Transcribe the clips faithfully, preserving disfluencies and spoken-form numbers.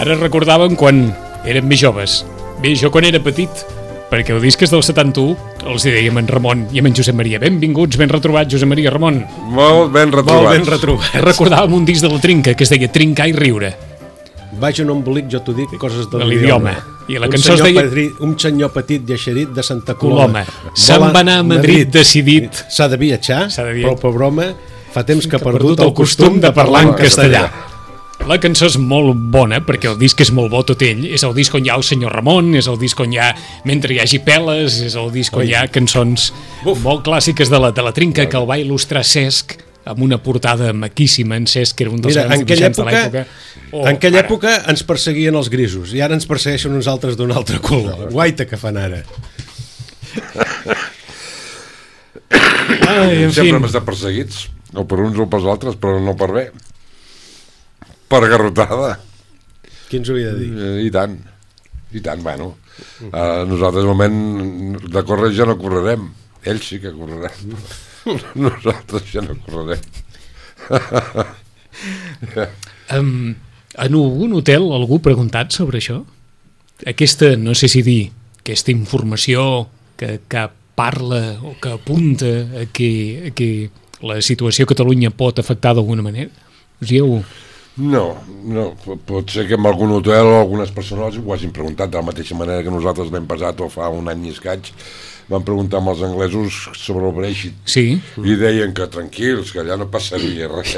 Ara recordàvem quan érem més joves. Bé, jo quan era petit, perquè el disc és del setanta-u, els hi dèiem en Ramon i en Josep Maria. Benvinguts, ben retrobats, Josep Maria, Ramon. Molt ben retrobats. Molt ben retrobats. Recordàvem un disc de la Trinca que es deia Trincar i riure. Vaig en un embolic, jo t'ho dic, coses de, de l'idioma. I la cançó es deia... Petri, un senyor petit i eixerit de Santa Coloma. Coloma. Se'n va anar a Madrid, Madrid decidit... S'ha de viatjar, de viatjar, però per broma fa temps que ha perdut, perdut el costum de parlar en castellà. La cançó és molt bona, perquè el disc és molt bo tot ell. És el disc on hi ha el senyor Ramon, és el disc on hi ha Mentre hi hagi peles, és el disc on hi ha cançons Uf. molt clàssiques de la, de la Trinca, que el va il·lustrar Cesc, amb una portada maquíssima. En Cesc, que era un dels Mira, grans dibuixants de l'època. Oh, en aquella ara. època ens perseguien els grisos, i ara ens persegueixen uns altres d'un altre color. Guaita que fan ara. Ai, en Sempre fi. hem estat perseguits, o per uns o pels altres, però no per bé. Per garrotada. Qui ens ho havia de dir? I tant, i tant, bueno. Uh, nosaltres, al moment de córrer ja no correrem. Ells sí que correran. Nosaltres ja no correrem. um, en algun hotel algú ha preguntat sobre això? Aquesta, no sé si dir, aquesta informació que, que parla o que apunta a que, a que la situació a Catalunya pot afectar d'alguna manera? Us hi heu... No, no, pot ser que en algun hotel o algunes persones ho hagin preguntat de la mateixa manera que nosaltres l'hem passat o fa un any i escaig van preguntar amb els anglesos sobre el Brexit. Sí. I deien que tranquils, que allà no passaria res.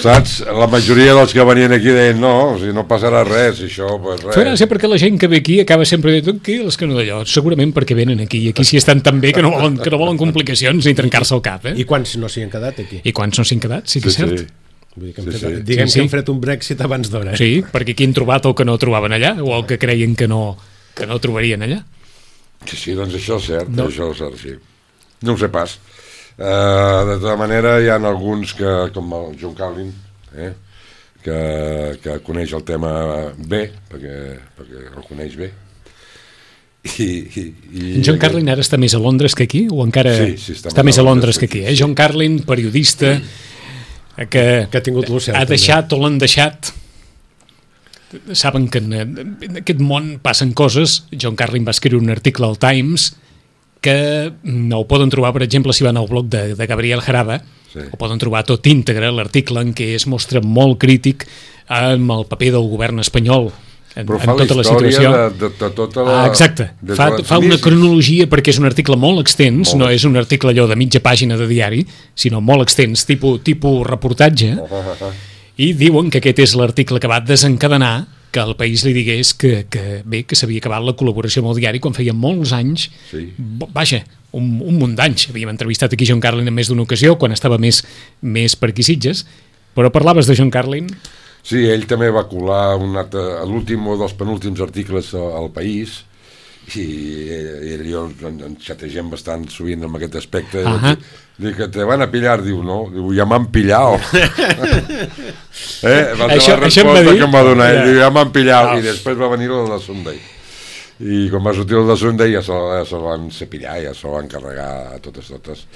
Saps? La majoria dels que venien aquí deien no, o sigui, no passarà res, això, pues res. Fa gràcia perquè la gent que ve aquí acaba sempre dient tranquils, que no d'allò, segurament perquè venen aquí, i aquí sí estan tan bé que no volen, que no volen complicacions ni trencar-se el cap, eh? I quants no s'hi han quedat aquí? I quants no s'hi han quedat, sí que és sí, cert. Sí. Vull dir que hem sí, fet, sí. diguem sí, sí. que hem fet un Brexit abans d'hora. Eh? Sí, perquè aquí han trobat el que no trobaven allà, o el que creien que no, que no trobarien allà. Sí, sí, doncs això és cert, no. això és cert, sí. No ho sé pas. Uh, de tota manera, hi ha alguns que, com el John Carlin, eh, que, que coneix el tema bé, perquè, perquè el coneix bé. I, i, i John Carlin ara està més a Londres que aquí, o encara sí, sí, està, està més a Londres que aquí, eh? John Carlin, periodista, que, que ha tingut l'Ocel, ha deixat o l'han deixat. Saben que en, en aquest món passen coses. John Carlin va escriure un article al Times que no ho poden trobar, per exemple, si van al blog de, de Gabriel Jaraba, sí. Ho poden trobar tot íntegre, l'article en què es mostra molt crític amb el paper del govern espanyol en, però fa en tota la, la situació de, de, de tota la... Ah, exacte, fa, fa una cronologia perquè és un article molt extens, molt. No és un article allò de mitja pàgina de diari, sinó molt extens, tipus, tipus reportatge, uh -huh. I diuen que aquest és l'article que va desencadenar que el País li digués que, que bé, que s'havia acabat la col·laboració amb el diari quan feia molts anys, sí. Vaja, un, un munt d'anys. Havíem entrevistat aquí John Carlin en més d'una ocasió, quan estava més, més per aquí Sitges, però parlaves de John Carlin... Sí, ell també va colar l'últim o dels penúltims articles al País i, i jo ens xategem bastant sovint amb aquest aspecte. Uh -huh. Dic que te van a pillar, diu, no? Diu, ja m'han pillat. eh? Va ser la resposta que em va donar ell. Diu, ja m'han pillat. Oh. I després va venir el de Sunday. I quan va sortir el de Sunday ja se'l ja se van cepillar, ja se'l van carregar a totes totes.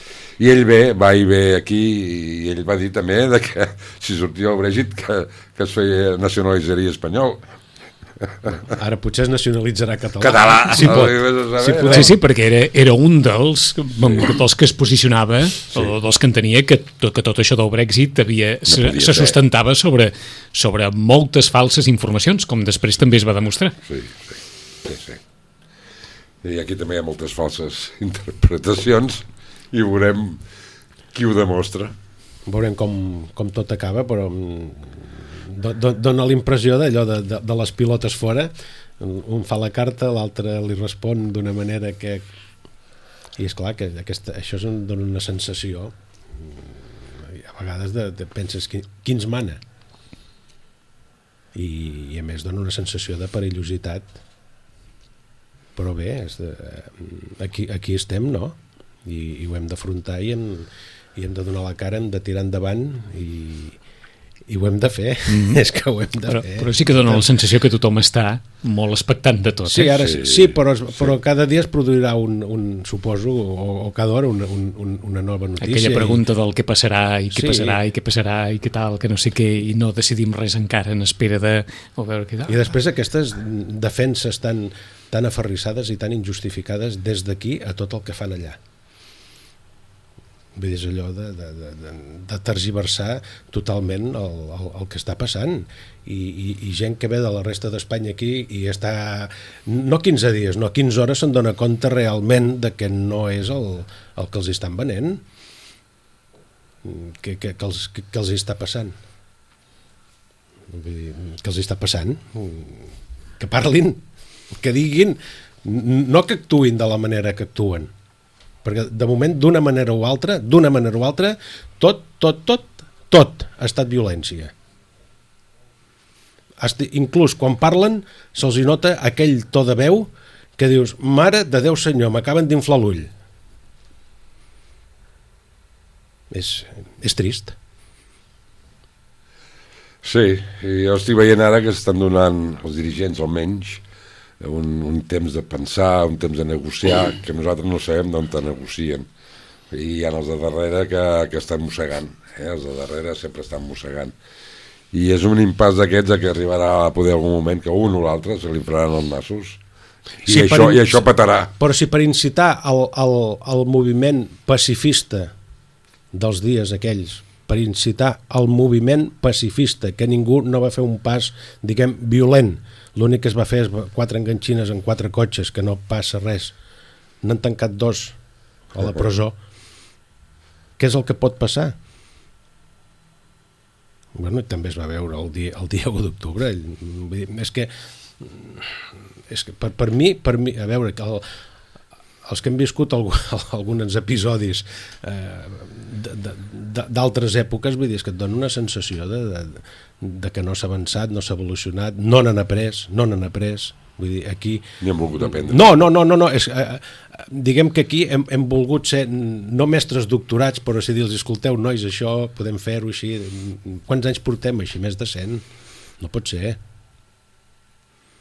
I ell ve, va i ve aquí, i ell va dir també de que si sortia el Brexit que, que es feia nacionalitzaria espanyol. Ara potser es nacionalitzarà català. Català. Si pot. Si pot. Sí, sí, perquè era, era un dels, dels que es posicionava, sí. o dels que entenia que, que tot això del Brexit havia, no se, se sustentava sobre, sobre moltes falses informacions, com després també es va demostrar. Sí, sí, sí, sí. I aquí també hi ha moltes falses interpretacions i veurem qui ho demostra. Veurem com, com tot acaba, però do, do, dona la impressió d'allò de, de, de les pilotes fora. Un fa la carta, l'altre li respon d'una manera que... I és clar que aquesta, això és un, dona una sensació a vegades de, de penses qui, qui ens mana, i, i a més dona una sensació de perillositat, però bé, és de, aquí, aquí estem, no? I, i ho hem d'afrontar i hem, i hem de donar la cara, hem de tirar endavant i, i ho hem de fer. Mm. És que ho hem de però, fer. Però sí que dona la sensació que tothom està molt expectant de tot. Sí, eh? ara sí, sí, però, però sí. Cada dia es produirà un, un suposo, o, o cada hora una, un, una nova notícia. Aquella pregunta i... del què passarà i què sí. passarà i què passarà i què tal, que no sé què, i no decidim res encara en espera de... O veure què tal. I després aquestes defenses tan, tan aferrissades i tan injustificades des d'aquí a tot el que fan allà. Vull dir, és allò de, de, de, de tergiversar totalment el, el, el que està passant I, i, i gent que ve de la resta d'Espanya aquí i està, no quinze dies, no quinze hores, se'n dona compte realment de que no és el, el que els estan venent, que, que, que, els, que, que els està passant. Vull dir, que els està passant, que parlin, que diguin, no que actuïn de la manera que actuen, perquè de moment d'una manera o altra d'una manera o altra tot, tot, tot, tot ha estat violència. Inclús quan parlen se'ls hi nota aquell to de veu que dius, mare de Déu senyor, m'acaben d'inflar l'ull. És, és trist. Sí, i jo estic veient ara que estan donant els dirigents almenys Un, un temps de pensar, un temps de negociar, que nosaltres no sabem d'on te negocien. I hi ha els de darrere que, que estan mossegant, eh? Els de darrere sempre estan mossegant. I és un impàs d'aquests que arribarà a poder algun moment que un o l'altre se li faran els nassos. I, sí, això, per, i això petarà. Però si per incitar el, el, el moviment pacifista dels dies aquells, per incitar el moviment pacifista, que ningú no va fer un pas, diguem, violent, l'únic que es va fer és quatre enganxines en quatre cotxes, que no passa res, n'han tancat dos a la presó. Què és el que pot passar? Bueno, també es va veure el dia, el dia u d'octubre. És que, és que per, per mi, per mi, a veure, que el, els que hem viscut alguns episodis eh, d'altres èpoques, vull dir, és que et dona una sensació de, de, de que no s'ha avançat, no s'ha evolucionat, no n'han après, no n'han après. Vull dir, aquí... Ni hem volgut aprendre. No, no, no, no, no. És, eh, diguem que aquí hem, hem volgut ser, no mestres doctorats, però si dir-los, escolteu, nois, això podem fer-ho així. Quants anys portem així? Més de cent? No pot ser.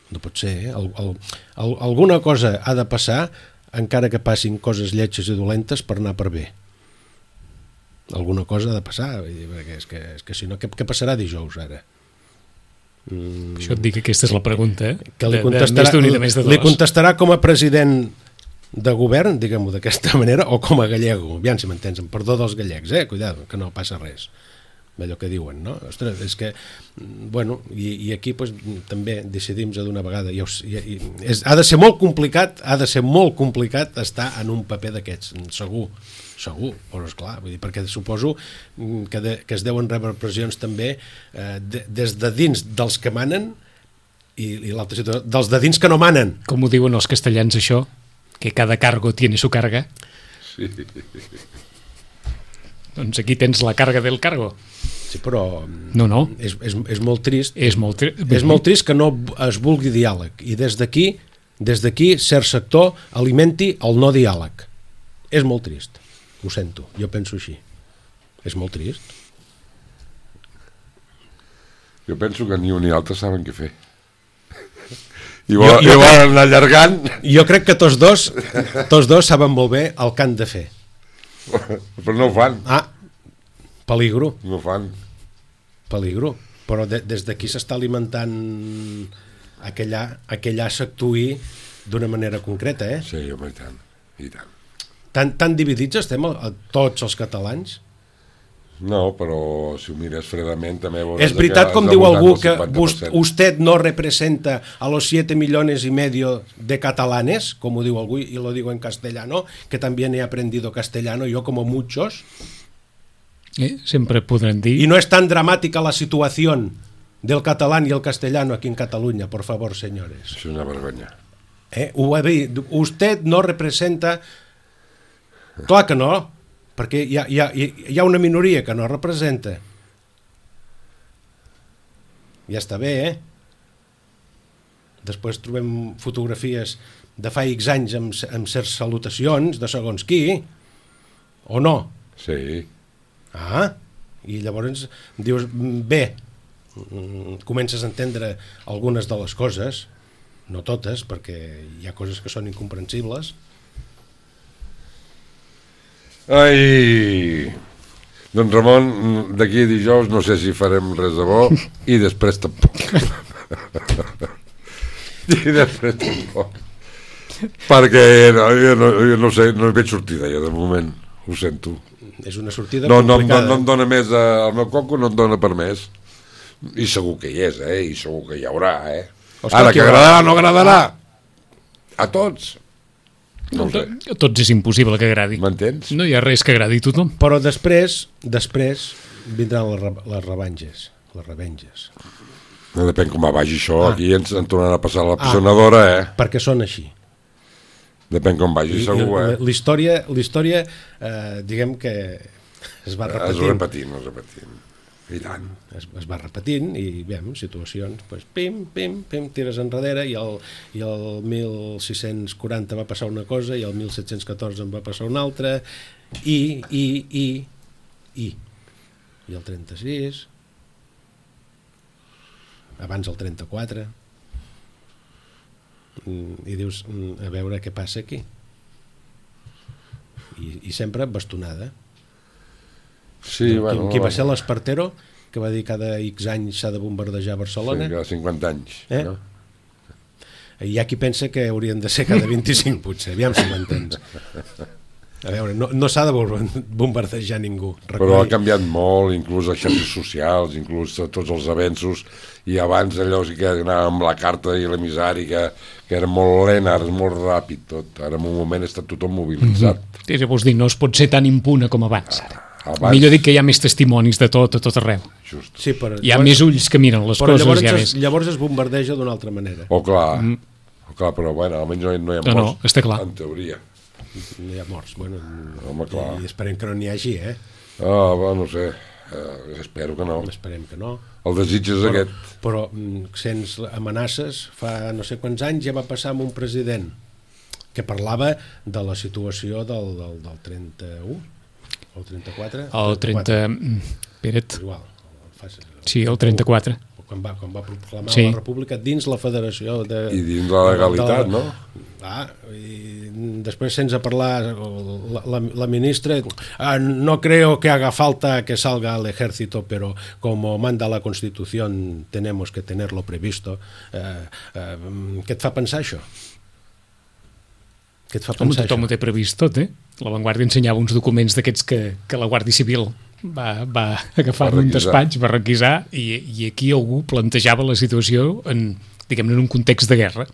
No pot ser. El, el, el, alguna cosa ha de passar, encara que passin coses lletges i dolentes, per anar per bé. Alguna cosa ha de passar, perquè és que, és que si no, què, què passarà dijous ara? Mm. Això et dic que aquesta és la pregunta, eh? Que li contestarà, de, de, de més de li contestarà com a president de govern, diguem-ho d'aquesta manera, o com a gallego, aviam si m'entens, amb perdó dels gallecs, eh? Cuidado, que no passa res. Allò que diuen, no? Ostres, és que, bueno, i, i aquí pues, també decidim d'una vegada, i, i, és, ha de ser molt complicat, ha de ser molt complicat estar en un paper d'aquests, segur, segur, però esclar, vull dir, perquè suposo que, de, que es deuen rebre pressions també eh, de, des de dins dels que manen i, i l'altra situació, dels de dins que no manen. Com ho diuen els castellans això? Que cada cargo tiene su carga? Sí. Doncs aquí tens la carga del cargo. Sí, però no, no. És, és, és molt trist. És molt, tri... és molt trist que no es vulgui diàleg. I des d'aquí, des d'aquí, cert sector alimenti el no diàleg. És molt trist. Ho sento, jo penso així. És molt trist. Jo penso que ni un ni altre saben què fer. I volen, jo, jo, volen anar allargant. Jo crec que tots dos, tots dos saben molt bé el que han de fer. Però no ho fan. Ah, peligro. No ho fan. Peligro. Però de, des d'aquí s'està alimentant aquella, aquella s'actuï d'una manera concreta, eh? Sí, home, i tant, i tant. Tan, tan dividits estem a, a tots els catalans? No, però si ho mires fredament també veuràs... Es veritat, com és diu al algú, voltant que del cinquanta per cent. usted no representa a los siete millones y medio de catalanes, como digo algú, y lo digo en castellano, que también he aprendido castellano, yo como muchos. Eh? Sempre podran dir... Y no es tan dramática la situación del catalán y el castellano aquí en Cataluña, por favor, señores. És una vergonya. Eh? Ho ha dit, usted no representa... Clar que no, perquè hi ha, hi ha, hi ha una minoria que no representa. Ja està bé, eh? Després trobem fotografies de fa X anys amb, amb certes salutacions de segons qui, o no? Sí. Ah, i llavors dius, bé, comences a entendre algunes de les coses, no totes, perquè hi ha coses que són incomprensibles. Ai... Doncs Ramon, d'aquí a dijous no sé si farem res de bo i després tampoc. I després tampoc. Perquè no, jo, no, jo no sé, no hi veig sortida jo de moment, ho sento. És una sortida no, no, complicada. No, no em dona més, eh, el meu coco no em dona per més. I segur que hi és, eh? I segur que hi haurà, eh? Oscar, ara, que agradarà, no agradarà. A tots. No ho sé. A tots és impossible que agradi. M'entens? No hi ha res que agradi a tothom. Però després, després vindran les, re- les revenges, les revenges. No depèn com vagi això, Ah. aquí ens en tornarà a passar la pisonadora, eh? Perquè són així. Depèn com vagi, I- segur, i- eh? La història, la història eh, diguem que es va Es repetint. repetint, es repetint. I tant. Es, es va repetint i veiem situacions, pues, pim, pim, pim, tires enrere i el, i el mil sis-cents quaranta va passar una cosa i el mil set-cents catorze en va passar una altra i, i, i, i i el trenta-sis abans el trenta-quatre i dius, a veure què passa aquí i, i sempre bastonada. Sí, bueno... Qui, qui va ser l'Espartero que va dir cada X anys s'ha de bombardejar Barcelona? Sí, cada cinquanta anys. Eh? No? Hi ha qui pensa que haurien de ser cada vint-i-cinc, potser, aviam si m'entens. A veure, no, no s'ha de bombardejar ningú. Però ha canviat molt, inclús les xarxes socials, inclús tots els avenços, i abans allò sí que anava amb la carta i l'emissari, que, que era molt lent, ara és molt ràpid tot. Ara en un moment està tothom mobilitzat. Mm-hmm. Sí, vols dir, no es pot ser tan impune com abans, ara. Abans... Millor dic que hi ha més testimonis de tot, a tot arreu. Just. Sí, però, Hi ha llavors, més ulls que miren les però coses. Llavors, ja es, més... llavors es bombardeja d'una altra manera. O clar, mm. o clar, però bueno, almenys no, no hi ha No, morts, no, està clar. en teoria. No hi ha morts. Bueno, Home, clar. I esperem que no n'hi hagi, eh? Ah, bueno, no sé, uh, espero que no. Esperem que no. El desig és Però, aquest. però mm, sents amenaces, fa no sé quants anys ja va passar amb un president que parlava de la situació del, del, del trenta-u, el trenta-quatre? El trenta... Espera't. Igual. Fa, Sí, el trenta-quatre. Quan va, quan va proclamar Sí. la república dins la federació de... I dins la legalitat, de, no? Ah, i després sense parlar la, la, la ministra ah, no creo que haga falta que salga al ejército, pero como manda la Constitución tenemos que tenerlo previsto. eh, eh, què et fa pensar això? Què et fa Home, pensar tothom ho això? té previst tot, eh? La Vanguardia ensenyava uns documents d'aquests que, que la Guàrdia Civil va, va agafar Va en un requisar. despatx, va requisar, i, i aquí algú plantejava la situació en, diguem-ne, en un context de guerra.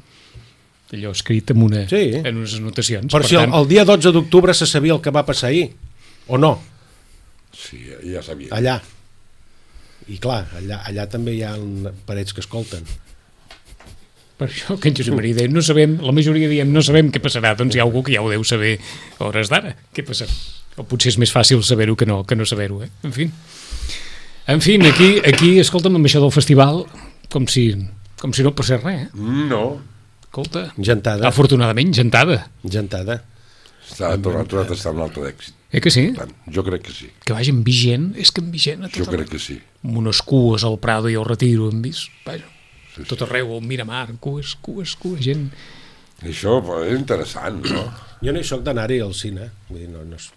Allò escrit en, una, Sí. en unes anotacions. Però per si el, tant, el dia dotze d'octubre se sabia el que va passar ahir, o no? Sí, ja sabia. Allà. I clar, allà, allà també hi ha parets que escolten. per això que en Josep Maria deia, no sabem, la majoria diem no sabem què passarà, doncs hi ha algú que ja ho deu saber a hores d'ara, què passarà. O potser és més fàcil saber-ho que no, que no saber-ho, eh? En fi. En fi, aquí, aquí escolta'm, amb això del festival, com si, com si no passés res, eh? No, Escolta, Gentada. afortunadament, gentada. Gentada. està tornat, tornat a estar un altre d'èxit. Eh que sí? Tant, jo crec que sí. Que vagi amb vigent, és que amb vigent a tot Jo arreu. crec que sí. Amb unes cues al Prado i al Retiro hem vist, vaja, Sí, sí. tot arreu, al Miramar, cues, cues, cues, gent. Això però, és interessant, no? Jo no hi soc d'anar-hi al cine, vull dir, no, no, és,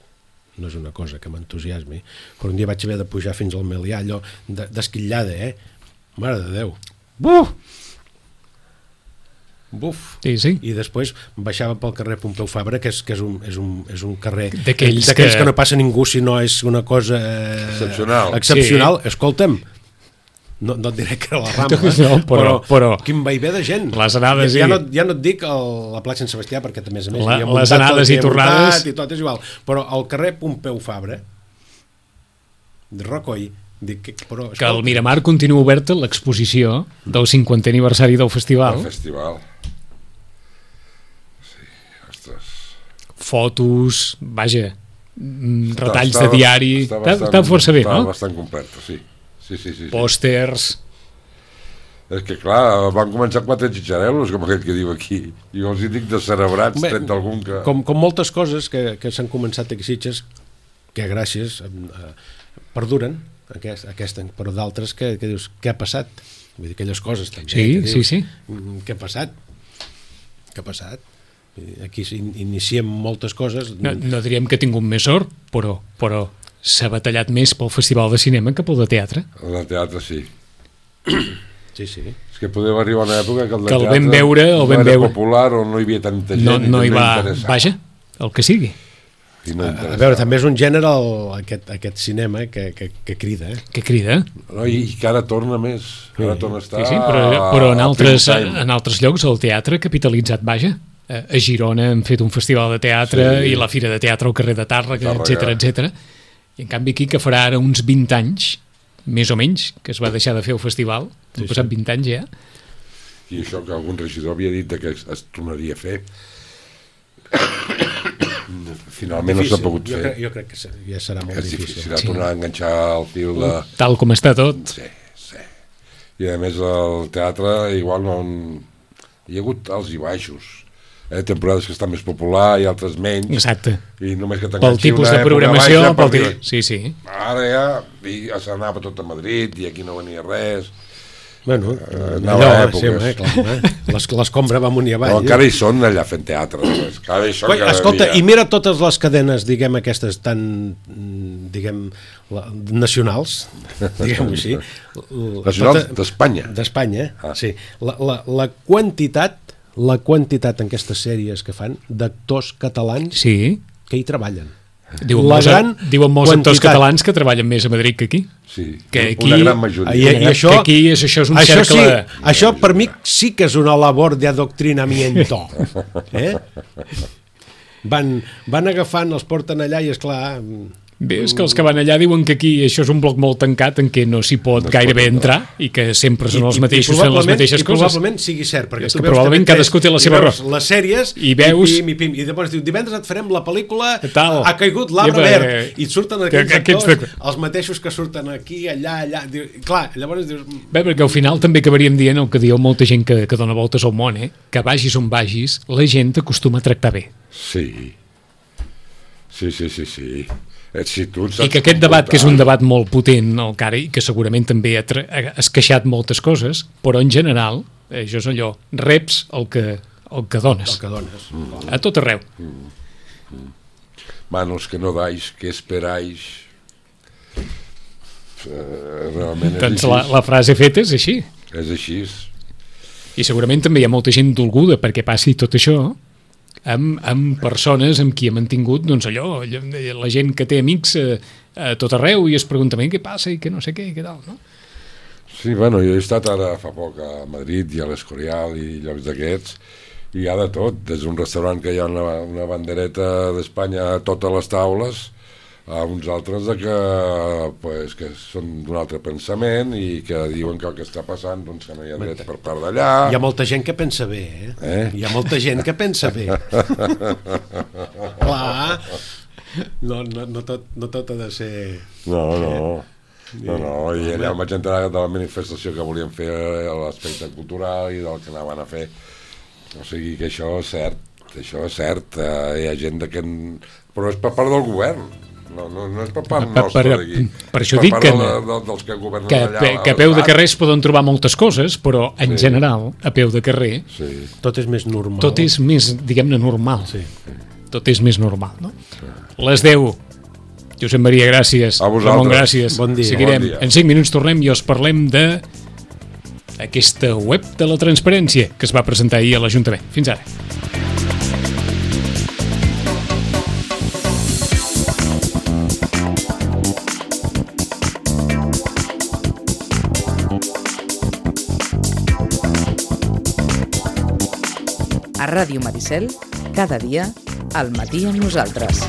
no és una cosa que m'entusiasmi, però un dia vaig haver de pujar fins al Melià, allò de- d'esquitllada, eh? Mare de Déu. Buh! buf. Sí, sí. I després baixava pel carrer Pompeu Fabra, que és, que és, un, és, un, és un carrer d'aquells que... que no passa ningú si no és una cosa eh, excepcional. excepcional. Sí. Escolta'm, no, no et diré que era la Rambla, no, però, però quin vaivé de gent. Les anades ja, ja, i... no, ja no et dic el, la plaça Sant Sebastià, perquè també a més la, hi ha les anades i tornades i tot és igual, però al carrer Pompeu Fabra de Rocoi dic, que, però, que al Miramar continua oberta l'exposició del cinquantè aniversari del festival. El festival. Sí, ostres. Fotos, vaja, retalls està, de diari, està, està, bastant, està força bé, està no? bastant completa, sí. Sí, sí, sí, sí. Pòsters. És que clar, van començar quatre xitxarel·los, com aquell que diu aquí, i els hi dic de cerebrats, tret d'algun que... Com, com moltes coses que, que s'han començat aquí a Sitges, que gràcies eh, perduren, aquest, aquesta, però d'altres que, que dius, què ha passat? Vull dir, aquelles coses també. Sí, que dius, sí, sí. Què ha passat? Què ha passat? Aquí iniciem moltes coses. No, no diríem que ha tingut més sort, però, però s'ha batallat més pel festival de cinema que pel de teatre. El de teatre, sí. Sí, sí. És que podria arribar una època que el de que el teatre vam veure, el no vam era veure. popular o no hi havia tanta gent No, i no hi no va... interessava. Vaja, el que sigui. I no A, a veure, també és un gènere el, aquest, aquest cinema que, que, que crida, eh? Que crida. No, i, I que ara torna més. Ara torna a estar... Sí, sí, però, però en, a altres, prime time. en altres llocs el teatre ha capitalitzat, vaja. A a Girona han fet un festival de teatre Sí. i la Fira de Teatre al carrer de Tàrrega, Tàrrega. etcètera, etcètera. I en canvi aquí, que farà ara uns vint anys, més o menys, que es va deixar de fer el festival, han Sí, passat sí. vint anys ja, I això que algun regidor havia dit que es, es tornaria a fer. Finalment no s'ha pogut jo fer. Crec, jo crec que ja serà molt És difícil. difícil, ha Sí. tornar a enganxar el fil de... tal com està tot. Sí, sí. I a més el teatre igual no... Hi ha hagut alts i baixos. Eh? Temporades que estan més popular i altres menys. Exacte. I només que Pel t'enganxi tipus una de època programació, baixa, pel perquè ti... Sí, sí. Ara ja i s'anava tot a Madrid i aquí no venia res. Bueno, anava allò, a sí, èpoques. home, clar, eh? Les- l'escombra va amunt i avall. Però encara hi són allà fent teatre. Només. Encara hi són Coi, cada escolta, dia. i mira totes les cadenes, diguem, aquestes tan, mm, diguem, la, nacionals, diguem-ho així. Nacionals Tota- d'Espanya. D'Espanya, Ah. sí. La, la, la quantitat, la quantitat en aquestes sèries que fan d'actors catalans Sí. que hi treballen. Diuen La molts, gran diuen molts actors quantitat. catalans que treballen més a Madrid que aquí. Sí, Que una aquí- gran majoria. I, i això, que aquí és, això és un això cercle... sí, això per mi sí que és una labor de adoctrinamiento. Eh? Van, van agafant, els porten allà i, esclar, Bé, és que els que van allà diuen que aquí això és un bloc molt tancat en què no s'hi pot No es gairebé pot entrar i que sempre són els mateixos fent les probablement- mateixes i coses. probablement sigui cert, perquè És tu que veus probablement T V tres cadascú té la i seva veus raó. les sèries I veus- i, pim, i, pim, i llavors diu, divendres et farem la pel·lícula Tal. Ha caigut l'arbre I, verd eh, i et surten que- aquells que aquests actors, de- els mateixos que surten aquí, allà, allà. Diu, clar, llavors dius... Bé, perquè al final també acabaríem dient el que diu molta gent que, que dona voltes al món, eh? Que vagis on vagis, la gent t'acostuma a tractar bé. Sí. Sí, sí, sí, sí. Eh, si tu I que aquest debat, que és un debat molt potent, el cara, i que segurament també ha, tra- ha esqueixat moltes coses, però en general, eh, això és allò, reps el que, el que dones. El que dones. Mm. A tot arreu. Manos que no dais, que esperais. Eh, realment és Doncs així. la, la frase feta és així. És així. I segurament també hi ha molta gent dolguda perquè passi tot això amb, amb persones amb qui ha mantingut, doncs allò, allò, la gent que té amics a, a tot arreu i es pregunta què passa i que no sé què i què tal, no? Sí, bueno, jo he estat ara fa poc a Madrid i a l'Escorial i llocs d'aquests i hi ha de tot, des d'un restaurant que hi ha una, una bandereta d'Espanya a totes les taules a uns altres de que, pues, que són d'un altre pensament i que diuen que el que està passant doncs, que no hi ha dret per part d'allà. Hi ha molta gent que pensa bé, eh? Eh? Hi ha molta gent que pensa bé. Clar. No, no, no, tot, no tot ha de ser... No, no. No, no, i allà em vaig enterar de la manifestació que volien fer a l'aspecte cultural i del que anaven a fer. O sigui que això és cert, això és cert. Eh, hi ha gent de que... Però és per part del govern. No, no, no és per part Per- nostra per- d'aquí. per això És dic part que de, no. de, dels que governen Que, allà. pe- que a peu de carrer es poden trobar moltes coses, però en Sí. general, a peu de carrer, Sí. Tot és més normal. tot és més, diguem-ne, normal. Sí. Tot és més normal, no? Les deu. Josep Maria, gràcies. A vosaltres. Ramon, gràcies. Bon dia. Seguirem. Bon dia. En cinc minuts tornem i us parlem de aquesta web de la transparència que es va presentar ahir a l'Ajuntament. Fins ara. A Ràdio Maricel, cada dia, al matí amb nosaltres.